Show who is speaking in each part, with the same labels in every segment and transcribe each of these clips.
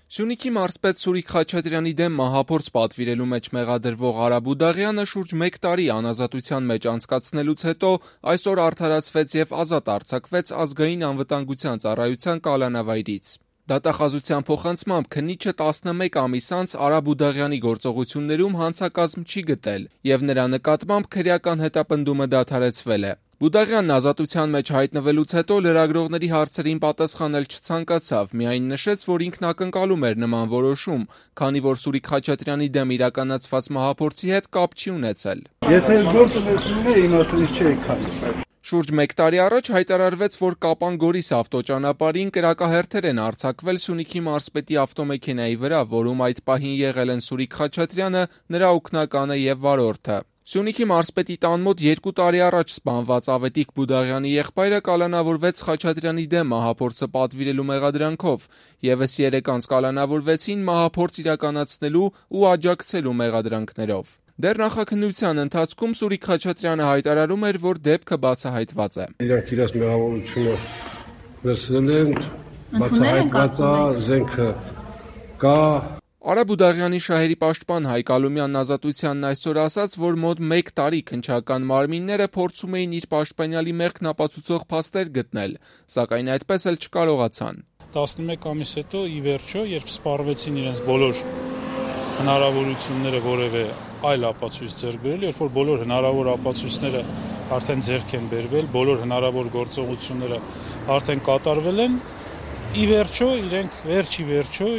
Speaker 1: Սյունիքի մարզպետ Սուրիկ Խաչատրյանի դեմ մահափորձ պատվիրելու մեջ մեղադրվող Արա Բուդաղյանը շուրջ 1 տարի անազատության մեջ անցկացնելուց հետո այսօր արդարացվեց եւ ազատ արձակվեց Ազգային անվտանգության ծառայության կալանավայրից։ Դատախազության փոխանցմամբ քննիչը 11 ամիս անց Արա Բուդաղյանի գործողություններում հանցակազմ չի գտել եւ նրա նկատմամբ քրեական հետապնդումը դադարեցվել է։ Բուդաղյանն ազատության մեջ հայտնվելուց հետո լրագրողների հարցերին պատասխանել չցանկացավ, միայն նշեց, որ ինքն ակնկալում էր նման որոշում, քանի որ Սուրիկ Խաչատրյանի դեմ իրականացված մահափորձի հետ կապ չի ունեցել։
Speaker 2: Եթե գործը մեկնում է, իմաստից չի քանի։
Speaker 1: Շուրջ 1 տարի առաջ հայտարարվեց, որ Կապան-Գորիս ավտոճանապարհին կրակահերթեր են արձակվել Սյունիքի մարզպետի ավտոմեքենայի վրա, որում այդ պահին եղել են Սուրիկ Խաչատրյանը, նրա օգնականը եւ վարորդը։ Սյունիքի մարզպետի տան մոտ 2 տարի առաջ սպանված Ավետիք Բուդաղյանի եղբայրը կալանավորվեց Խաչատրյանի դեմ մահափորձը պատվիրելու մեղադրանքով, եւս 3 անց կալանավորվեցին մահափորձ իրականացնելու ու աջակցելու մեղադրանքներով։ Դեռ նախաքննության ընթացքում Սուրիկ Խաչատրյանը հայտարարում էր, որ դեպքը բացահայտված է։
Speaker 2: Իրանք իրաց մեղավորությունը վերցրել են, բացահայտված է, զենքը կա։
Speaker 1: Արա Բուդաղյանի շահերի պաշտպան Հայկ Ալումյանն Ազատությանն այսօր ասաց, որ մոտ 1 տարի քննչական մարմինները փորձում էին իր պաշտպանյալի մեղքն ապացուցող փաստեր գտնել, սակայն այդպես էլ չկարողացան։
Speaker 3: 11 ամիս հետո ի վերջո, երբ սպառվեցին իրենց բոլոր հնարավորությունները որևէ այլ ապացույց ձեռք բերել, երբ որ բոլոր հնարավոր ապացույցները արդեն ձեռք են բերվել, բոլոր հնարավոր գործողությունները արդեն կատարվել են, ի վերջո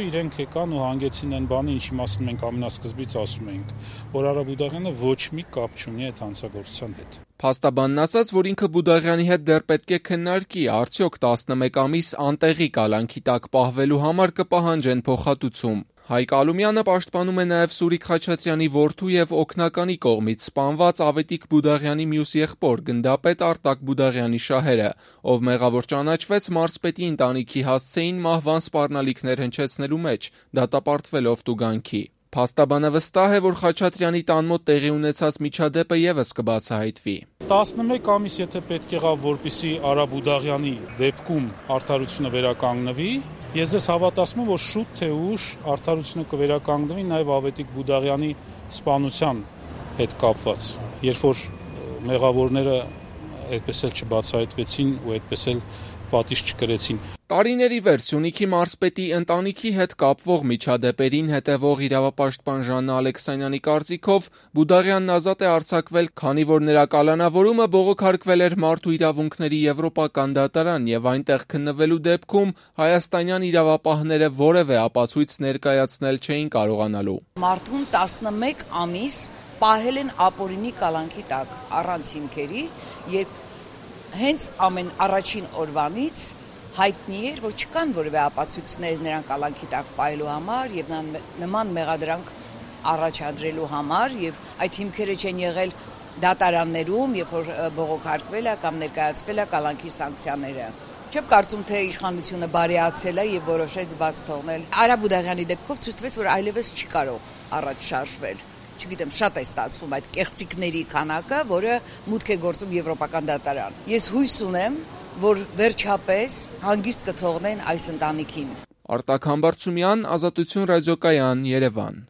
Speaker 3: իրենք եկան ու հանգեցին այն բանը, ինչի մասին մենք ամենասկզբից ասում էինք, որ Արա Բուդաղյանը ոչ մի կապ չունի այդ հանցագործության հետ։
Speaker 1: Փաստաբանն ասաց, որ ինքը Բուդաղյանի հետ դեռ պետք է քննարկի, արդյոք 11 ամիս անտեղի կալանքի տակ պահվելու համար կպահանջեն փոխհատուցում։ Հայկ Ալումյանը պաշտպանում է նաև Սուրիկ Խաչատրյանի որդու եւ օգնականի կողմից սպանված Ավետիք Բուդաղյանի մյուս եղբոր գնդապետ Արտակ Բուդաղյանի շահերը, ով մեղավոր ճանաչվեց մարզպետի ընտանիքի հասցեին մահվան սպառնալիքներ հնչեցնելու մեջ, դատապարտվելով տուգանքի։ Փաստաբանը վստահ է, որ Խաչատրյանի տան մոտ տեղի ունեցած միջադեպը եւս կբացահայտվի։
Speaker 3: 11 ամիս եթե պետք եղավ, որպեսզի Արա Բուդաղյանի դեպքում արդարությունը վերականգնվի, ես ես հավատացնում եմ, որ շուտ թե ուշ արդարությունը կվերականգնվի նաև Ավետիք Բուդաղյանի սպանության հետ կապված, երբ որ մեղավորները այդպես էլ չբացահայտվեցին ու այդպես էլ պատիժ չկրեցին։
Speaker 1: Տարիների վեր Սյունիքի մարզպետի ընտանիքի հետ կապվող միջադեպերին հետևող իրավապաշտպան Ժաննա Ալեքսանյանի կարծիքով Բուդաղյանն ազատ է արձակվել, քանի որ նրա կալանավորումը բողոքարկվել էր Մարդու իրավունքների Եվրոպական դատարան եւ այնտեղ քննվելու դեպքում հայաստանյան իրավապահները որևէ ապացույց ներկայացնել չէին կարողանալու։
Speaker 4: Մարդուն 11 ամիս պահել են ապօրինի կալանքի տակ առանց հիմքերի, երբ հենց ամեն առաջին օրվանից հայտնի էր, որ չկան որևէ ապացույցներ նրան կալանքի տակ պահելու համար եւ նման մեղադրանք առաջադրելու համար եւ այդ հիմքերը չեն եղել դատարաններում, երբ որ բողոքարկվել է կամ ներկայացվել է կալանքի սանկցիաները։ Չեմ կարծում, թե իշխանությունը բարեացել է եւ որոշեց բաց թողնել։ Արա Բուդաղյանի դեպքով ցույց տվեց, որ այլևս չի կարող առաջ շարժվել։ Չգիտեմ, շատ է ստացվում այդ կեղծիքների քանակը, որը մուտք է գործում Եվրոպական դատարան։ Ես հույս ունեմ, որ վերջապես հանգիստ կթողնեն այս ընտանիքին։
Speaker 1: Արտակ Համբարձումյան, Ազատություն ռադիոկայան, Երևան։